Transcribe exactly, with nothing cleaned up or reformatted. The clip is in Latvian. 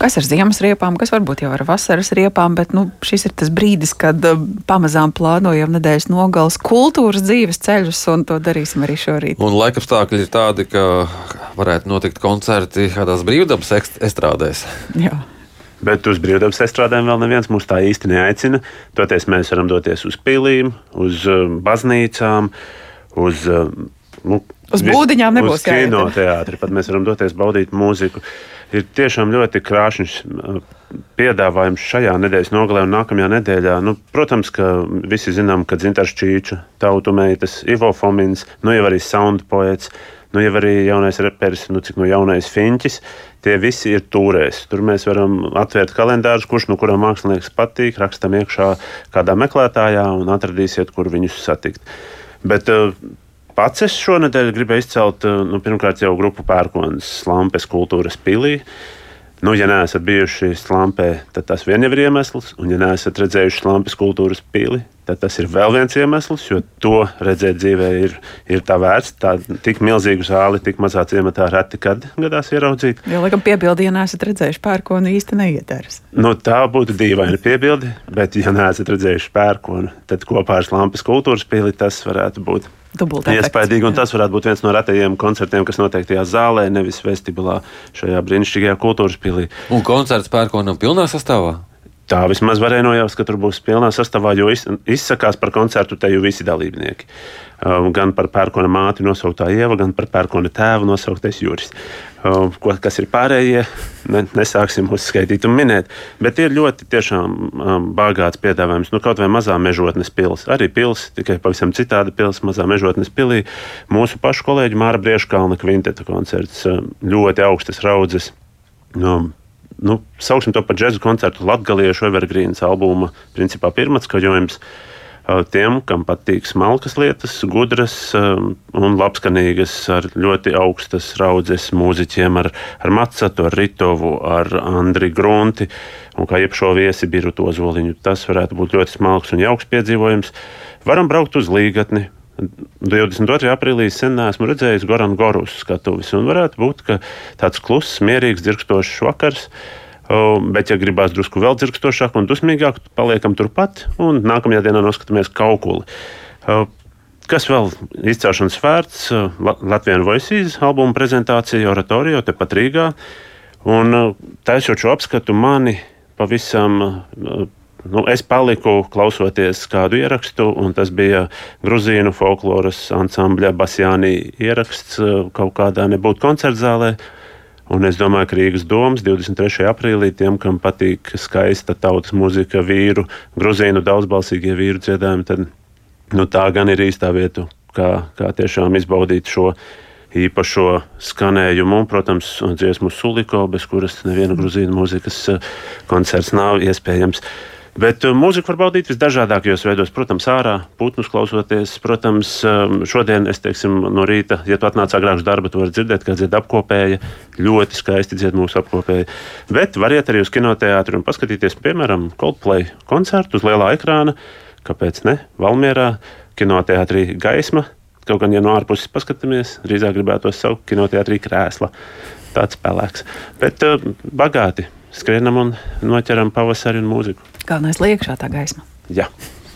Kas ar ziemas riepām, kas varbūt jau ar vasaras riepām, bet nu, šis ir tas brīdis, kad uh, pamazām plānojam nedēļas nogales kultūras dzīves ceļus, un to darīsim arī šorīt. Un laikapstākļi ir tādi, ka varētu notikt koncerti kādās brīvdabas estrādēs. Jā. Bet uz brīvdabas estrādēm vēl neviens mūs tā īsti neaicina. Toties mēs varam doties uz pilīm, uz uh, baznīcām, uz... Uh, nu, Uz būdiņām nebūs uz kino teātri, pat mēs varam doties baudīt mūziku. Ir tiešām ļoti krāšņs piedāvājums šajā nedēļas nogalē un nākamajā nedēļā. Nu, protams, ka visi zinām, ka Dzintars Čīča, Tautu meitas, Ivo Fomins, nu jau arī Sound poets, nu jau arī jaunais reperis, nu cik no jaunais Fiņķis. Tie visi ir tūrēs. Tur mēs varam atvērt kalendārus, kurš no kuram mākslinieks patīk, rakstam iekšā kādā meklētājā un atradīsiet, kur viņus satikt. Bet pats es šonedēļ gribēju izcelt, nu, pirmkārt jau grupu Pērkonas Slampes kultūras pilī. Nu, ja neesat bijuši Slampē, tad tas vien jau ir iemesls, un ja neesat redzējuši Slampes kultūras pili, tad tas ir vēl viens iemesls, jo to redzēt dzīvē ir, ir tā vērts. Tā tik milzīgu zāli, tik mazā ciematā reti kad gadās ieraudzīt. Jo, laikam, piebildi, ja neesat redzējuši Pērkonu, īsti neietērs. Nu, tā būtu dīvaina piebildi, bet ja neesat redzējuši Pērkonu, tad kopā ar Slampes kultūras pili tas varētu būt iespaidīgi, un tas varētu būt viens no retajiem koncertiem, kas notiek tajā zālē, nevis vestibulā šajā brīnišķīgajā kultūras pilī. Un koncerts Pērkonam pilnā sastāvā? Tā vismaz varēja nojaust, ka tur būs pilnā sastāvā, jo izsakās par koncertu te jau visi dalībnieki. Gan par Pērkona māti nosauktā Ieva, gan par Pērkona tēvu nosauktais Juris. Ko, kas ir pārējie, ne, nesāksim uzskaitīt un minēt, bet ir ļoti tiešām um, bagāts piedāvājums. Nu, kaut vai mazā Mežotnes pils, arī pils, tikai pavisam citāda pils, mazā Mežotnes pilī. Mūsu pašu kolēģi Māra Brieškalna kvinteta koncerts, ļoti augstas raudzes. Um, nu, sauksim to par džezu koncertu latgaliešu evergrīnas albuma, principā pirmatskaņojums. Tiem, kam patīk smalkas lietas, gudras um, un labskanīgas ar ļoti augstas raudzes mūziķiem, ar, ar Macatu, ar Ritovu, ar Andri Grunti un kā iepšo viesi Birutu Ozoliņu. Tas varētu būt ļoti smalks un jauks piedzīvojums. Varam braukt uz Līgatni. divdesmit otrajā aprīlī sen neesmu redzējis Goran Gorus skatuvis, un varētu būt, ka tāds kluss, mierīgs, dzirkstošs vakars. Bet, ja gribās drusku vēl dzirkstošāk un dusmīgāk, paliekam turpat un nākamajā dienā noskatāmies Kaukuli. Kas vēl izcelšanas vērts? Latvian Voices albuma prezentācija Oratorio tepat Rīgā. Un taisot šo apskatu mani pavisam, nu, es paliku klausoties kādu ierakstu, un tas bija gruzīnu folkloras ansambļa Basjānī ieraksts kaut kādā nebūtu koncertzālē. Un es domāju, ka Rīgas domas divdesmit trešajā aprīlī tiem, kam patīk skaista tautas muzika, vīru, gruzīnu daudzbalsīgie vīru dziedājumi, tad nu, tā gan ir īstā vieta, kā, kā tiešām izbaudīt šo īpašo skanējumu. Un, protams, dziesmu Suliko, bez kuras neviena gruzīnu mūzikas koncerts nav iespējams. Bet mūziku var baudīt visdažādākajos veidos. Protams, ārā, putnus klausoties. Protams, šodien es teiksim no rīta, ja tu atnāc agrāk uz darba, tu vari dzirdēt, kā dzied apkopēja. Ļoti skaisti dzied mūsu apkopēja. Bet variet arī uz kinoteātri un paskatīties, piemēram, Coldplay koncertu uz lielā ekrāna. Kāpēc ne? Valmierā, kinoteātrī Gaisma. Kaut gan, ja no ārpuses paskatāmies, drīzāk gribētos saukt kinoteātrī Krēsla. Tāds pelēks. Bet uh, bagāti skrienam un noķeram pavasari un mūziku. Galvenais liekšā tā gaisma. Jā.